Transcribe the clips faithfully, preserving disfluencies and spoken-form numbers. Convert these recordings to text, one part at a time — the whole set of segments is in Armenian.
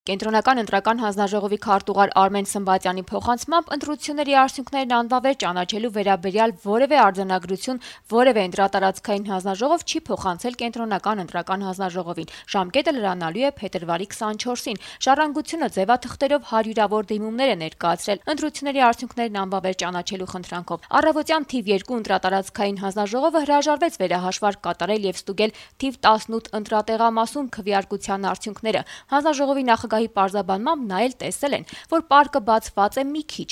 Կենտրոնական ընտրական հանձնաժողովի քարտուղար Արմեն Սմբատյանի փոխանցմամբ ընտրությունների արդյունքներն անվավեր ճանաչելու վերաբերյալ որևէ արձանագրություն որևէ ընտրատարածքային հանձնաժողով չի փոխանցել Կենտրոնական ընտրական հանձնաժողովին։ Ժամկետը լրանալու է փետրվարի քսանչորսին։ Ժառանգությունը ձևաթղթերով հարյուրավոր դիմումներ է ներկայացրել ընտրությունների արդյունքներն անվավեր ճանաչելու խնդրանքով։ Առավոտյան թիվ երկու ընտրատարածքային հանձնաժողովը հրաժարվեց վերահաշվարկ կատարել եւ ստուգել թիվ տասնութ ընտրատեղամասում քվեարկության արդյունքները։ Հանձնաժողովի նախագահի պարզաբանմամբ նա էլ տեսել են, որ պարկը բացված է մի քիչ։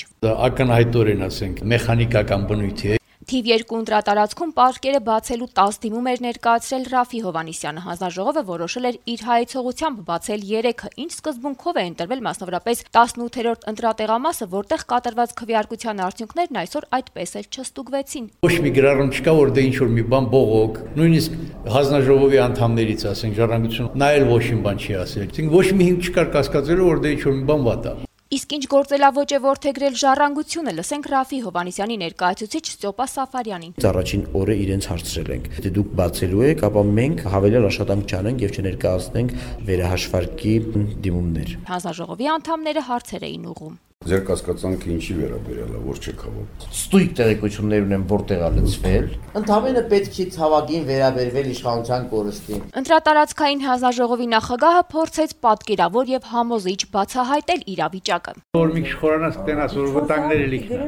Ակնհայտորեն ասենք մեխանիկական բնույթի է։ Թիվ երկու ընտրատարածքում պարկերը բացելու տասը դիմում էր ներկայացրել Ռաֆի Հովհաննիսյանը։ Հանձնաժողովը որոշել էր իր հայեցողությամբ բացել երեքը, ինչ սկզբունքով է ընտրվել մասնավորապես տասնութերորդ ընտրատեղամասը, որտեղ կատարված քվեարկության արդյունքներն այսօր այդպես էլ չստուգվեցին։ Ոչ մի գրառում չկա, որ դե ինչ որ մի բան բողոք, նույնիսկ հանձնաժողովի անդամներից ասենք ժառանգություն նա էլ ոչ մի բան չի ասել։ Այսինքն ոչ մի հիմք չկար կասկածելու, որ դե ինչ որ մի բան վատ է։ Իսկ ինչ գործելավոճ է որդեգրել ժառանգությունը, լսենք Ռաֆի Հովհաննիսյանի ներկայացուցիչ Ստյոպա Սաֆարյանին։ Առաջին օրը իրենց հարցրել ենք. Եթե դուք բացելու եք, ապա մենք հավելյալ աշխատանք չանենք եւ չներկայացնենք վերահաշվարկի դիմումներ։ Հանձնաժողովի անդամները հարցեր էին ուղղում։ Ձեր կասկածանքը ինչի վերաբերյալ է, որ չեք հավաքում։ Ստույգ տեղեկություններ ունեմ, որտեղ է լցվել։ Ընդհանրապես պետք չի ցավագին վերաբերվել իշխանության կորստին։ Ընտրատարածքային հանձնաժողովի նախագահը փորձեց պատկերավոր եւ համոզիչ բացահայտել իրավիճակը։ Որ մի քիչ խորանաց կտենաս, որ վտանգները լիքն։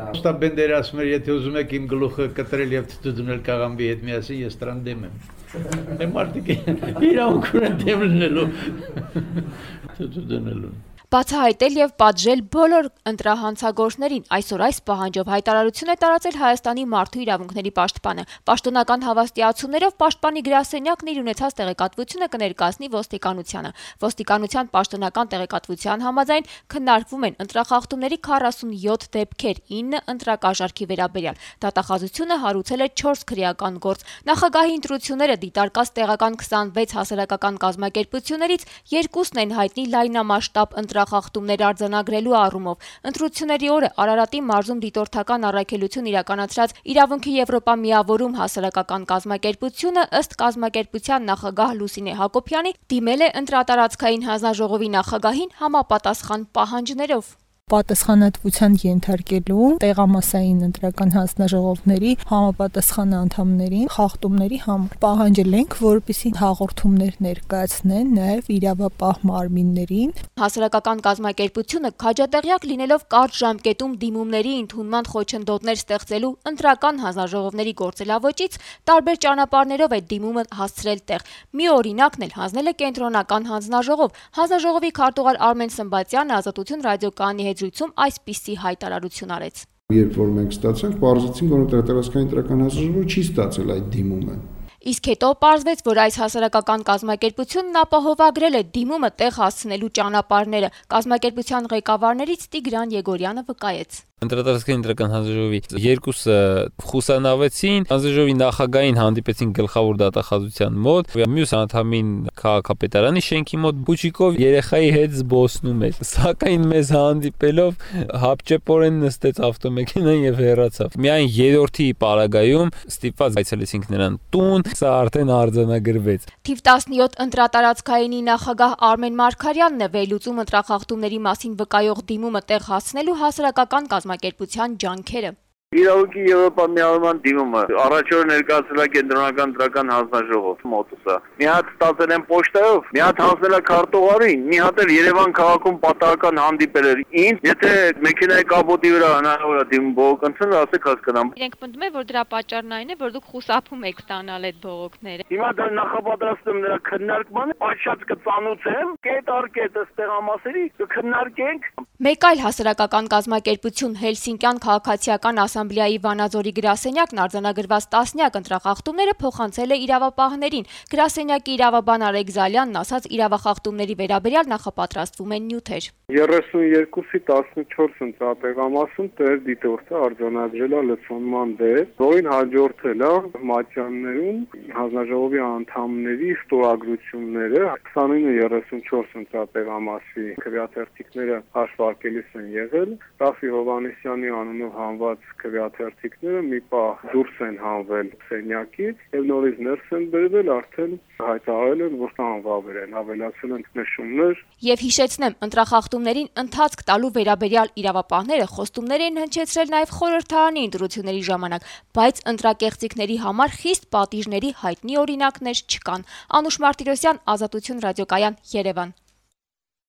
Ոստա Բենդերը ասում էր, եթե ուզում եք իմ գլուխը կտրել եւ դուդունել կաղամբի հետ միասին, ես դրան դեմ եմ։ Դե մարդիկ իրավունք ունեն դեմ լինելու։ Դուդունելու։ Բացահայտել եւ պատժել բոլոր ընտրահանցագործներին այսօր այս պահանջով հայտարարություն է տարածել Հայաստանի մարդու իրավունքների պաշտպանը։ Պաշտոնական հավաստիացումներով պաշտպանի գրասենյակն իր ունեցած տեղեկատվությունը կներկայացնի ոստիկանությանը։ Ոստիկանության պաշտոնական տեղեկատվության համաձայն քննարկվում են ընտրախախտումների քառասունյոթ դեպքեր, ինը ընտրակաշառքի վերաբերյալ։ Դատախազությունը հարուցել է չորս քրեական գործ։ Նախագահի ընտրությունները դիտարկած տեղական քսանվեց հասարակական կազմակերպություններից երկուսն են հայտնի լայնամասշտաբ ընտրախախտումներ արձանագրելու առումով։ Ընտրությունների օրը Արարատի մարզում դիտորդական առաքելություն իրականացրած Իրավունքի Եվրոպա միավորում հասարակական կազմակերպությունը ըստ կազմակերպության նախագահ Լուսինե Հակոբյանի դիմել է ընտրատարածքային հանձնաժողովի նախագահին համապատասխան պահանջներով։ Պատասխանատվության ենթարկելու տեղամասային ընտրական հանձնաժողովների համապատասխան անդամներին խախտումների համար պահանջել ենք, որպեսզի հաղորդումներ ներկայացնեն նաև իրավապահ մարմիններին։ Հասարակական կազմակերպությունը քաջատեղյակ լինելով կարճ ժամկետում դիմումների ընդունման խոչընդոտներ ստեղծելու ընտրական հանձնաժողովների գործելավոճից տարբեր ճանապարհներով է դիմումը հասցրել տեղ։ Մի օրինակն էլ հանձնել է Կենտրոնական հանձնաժողով։ Հանձնաժողովի քարտուղար Արմեն Սմբատյանը Ազատություն ռադիոկայանի հետ զրույցում այսպիսի հայտարարություն արեց։ Երբ որ մենք ստացանք, պարզեցինք, որ ընտրատարածքային ընտրական հանձնաժողովը չի ստացել այդ դիմումը։ Իսկ հետո պարզվեց, որ այս հասարակական կազմակերպությունն ապահովագրել է դիմումը տեղ հասցնելու ճանապարհները։ Կազմակերպության ղեկավարներից Տիգրան Եգորյանը վկայեց։ Ընտրատարածքային ընտրական հանձնաժողովի երկուսը խուսանավեցին, հանձնաժողովի նախագահին հանդիպեցին գլխավոր դատախազության մոտ, մյուս անդամին քաղաքապետարանի շենքի մոտ բուչիկով երեխայի հետ զբոսնում էր։ Սակայն մեզ հանդիպելով հապճեպորեն նստեց ավտոմեքենան եւ հեռացավ։ Միայն երրորդի պարագայում ստիպված այցելեցինք նրան տուն, սա արդեն արձանագրվեց։ Թիվ տասնյոթ ընտրատարածքայինի նախագահ Արմեն Մարգարյանն է վերլուծում ընտրախախտումների մասին վկայող դիմումը տեղ հասցնելու հասարակական կազմակերպության ջանքերը։ Իրավունքի Եվրոպա միավորման դիմումը առաջ օրը ներկայացել է Կենտրոնական ընտրական հանձնաժողով մոտուսը։ Մի հատ ստացել են պոչտայով, մի հատ հանձնել է քարտուղարին, մի հատ էլ Երևան քաղաքում պատահական հանդիպել էր։ Ինձ եթե մեքենայի կապոտի վրա հնարավոր է դիմում բողոք ընդունել, ասեք հասկանամ։ Իրենք պնդում են, որ դրա պատճառն այն է, որ դուք խուսափում եք ստանալ այդ բողոքները։ Հիմա դա նախապատրաստում նրա քննարկմանը, պատշաճ կծանուցեմ, կետ առ կետ ստեղամասերի կքննարկենք։ Մեկ այլ հասարակական կազմակերպություն Հելսինկյան քաղաքացիական ասամբլեայի Վանաձորի գրասենյակն արձանագրված տասնյակ ընտրախախտումները փոխանցել է իրավապահներին։ Գրասենյակի իրավաբան Արեգ Զալյանն ասաց, իրավախախտումների վերաբերյալ նախապատրաստվում են նյութեր։ երեսունյոթի տասնչորս ընտրատեղամասում տեր դիտորդը արձանագրել է լցոնման դեր, որին հաջորդել է մատյաններում հանձնաժողովի անդամների ստորագրությունները, քսանինը երեսունչորս ընտրատեղամասի քվեաթերթիկները հաշվարկել նշանակելիս են եղել։ Ռաֆի Հովհաննիսյանի անունով հանված քվեաթերթիկները մի պահ դուրս են հանվել սենյակից եւ նորից ներս են բերվել, արդեն հայտարարել են, որ անվավեր են, ավելացել են նշումներ։ Եվ հիշեցնեմ, ընտրախախտումներին ընթացք տալու վերաբերյալ իրավապահները խոստումներ են հնչեցրել նաև խորհրդարանի ընտրությունների ժամանակ, բայց ընտրակեղծիքների համար խիստ պատիժների հայտնի օրինակներ չկան։ Անուշ Մարտիրոսյան, Ազատություն ռադիոկայան, Երևան։